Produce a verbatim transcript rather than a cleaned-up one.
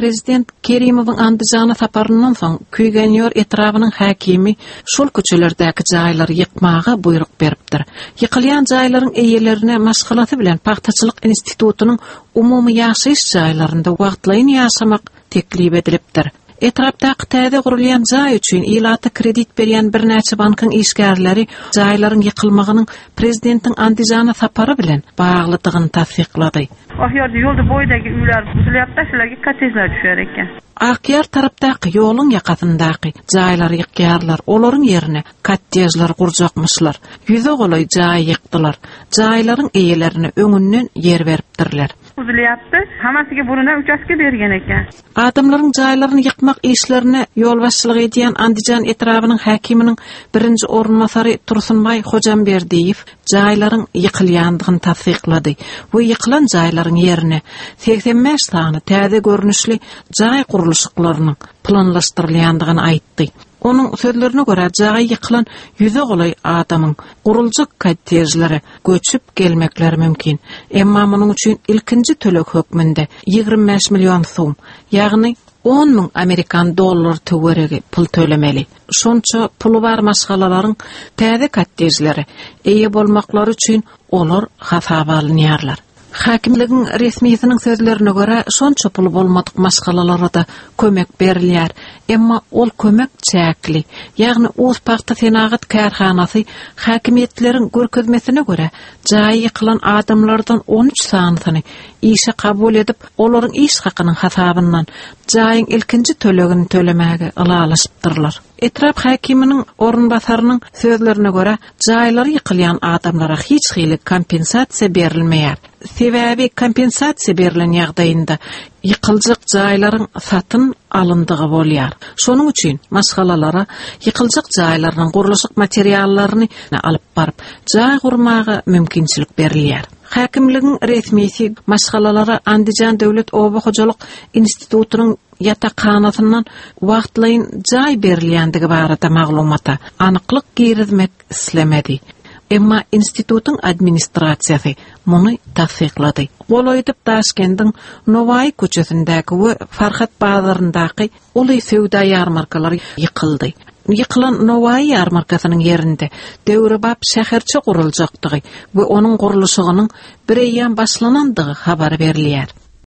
Prezident Kerimowyň Andijana saparyndan soň Küýgenýor etrabynyň häkimi şol köçelerdäki jaýlary ýykmaga buýruk beripdir. Ýykylýan jaýlaryň eýelerine maşgalasy bilen Pagtaçylyk institutynyň umumy ýaşaýyş jaýlarynda wagtlaýyn ýaşamak teklip edilipdir. Etrapdaky täze gurulýan jaý üçin ilata kredit berýän birnäçe bankyň işgärleri jaýlaryň ýykylmagynyň prezidentiň Andijana sapary bilen baglydygyny tassyklady. Oq yo'lda bo'yidagi uylar buzilyapti, shularga kottejlar tushar ekan. Akýar tarapdaky ýoluň ýakasyndaky jaýlary ýykýarlar, olaryň ýerine kottejler gurjakmyşlar. Ýüze golaý jaý ýykdylar. Jaýlaryň eýelerine öňünden ýer beripdirler. Buzilyapti, hammasiga burundan uchastka bergan ekan. Adamlaryň jaýlaryny ýykmak işlerine ýolbaşçylyk edýän Andijan etrabynyň häkiminiň birinji orunbasary Tursunbaý Hojamberdiýew jaýlaryň ýykylýandygyny tassyklady we ýykylan jaýlaryň ýerine segsen bäş sany täze görnüşli jaý gurluşyklarynyň planlaşdyrylýandygyny aýtdy. Onuň sözlerine görä jaý ýykylan ýüze golaý adamyň guruljak kottejlere göçüp gelmekleri mümkin. Emma munuň üçin ilkinji töleg hökmünde ýigrimi bäş million sum, ýagny on müň amerikan dollar töweregi pul tölemeli. Şonça puly bar maşgalalaryň täze kottejlere eýe bolmaklary üçin olar hasaba alynýarlar. Häkimligiň resmisiniň sözlerine görä şonça puly bolmadyk maşgalalara da kömek berilýär. Emma ol kömek çäkli. Ýagny Uz pagta senagat kärhanasy häkimiýetleriň görkezmesine görä jaýy ýykylan adamlardan on üç sanysyny işe kabul edip, olaryň iş hakynyň hasabyndan jaýyň ilkinji tölegini tölemäge ylalaşypdyrlar. Etrap häkiminiň orunbasarynyň sözlerine görä jaýlary ýykylýan adamlara hiç hili kompensasiýa berilmeýär. Sebäbi kompensasiýa berlen ýagdaýynda ýykyljak jaýlaryň satyn alyndygy bolýar. Şonuň üçin maşgalalara ýykyljak jaýlarynyň gurluşyk materiallaryny alyp baryp, jaý gurmaga mümkinçilik berilýär. Häkimligiň resmisi maşgalalara Andijan Döwlet Oba Hojalyk Institutynyň ýatakhanasyndan wagtlaýyn jaý berilýändigi barada maglumata anyklyk girizmek islemedi. Emma institutyň administrasiýasy muny tassyklady. Golaýdyp Daşkendiň Nowaý köçesindäki we Farhat bazaryndaky uly söwda ýarmarkalary ýykyldy. Ýykylan Nowaý ýarmarkasynyň ýerinde döwrebap şäherçe guruljakdygy we onuň gurluşygynyň bir eýýäm başlanandygy habar berilýär.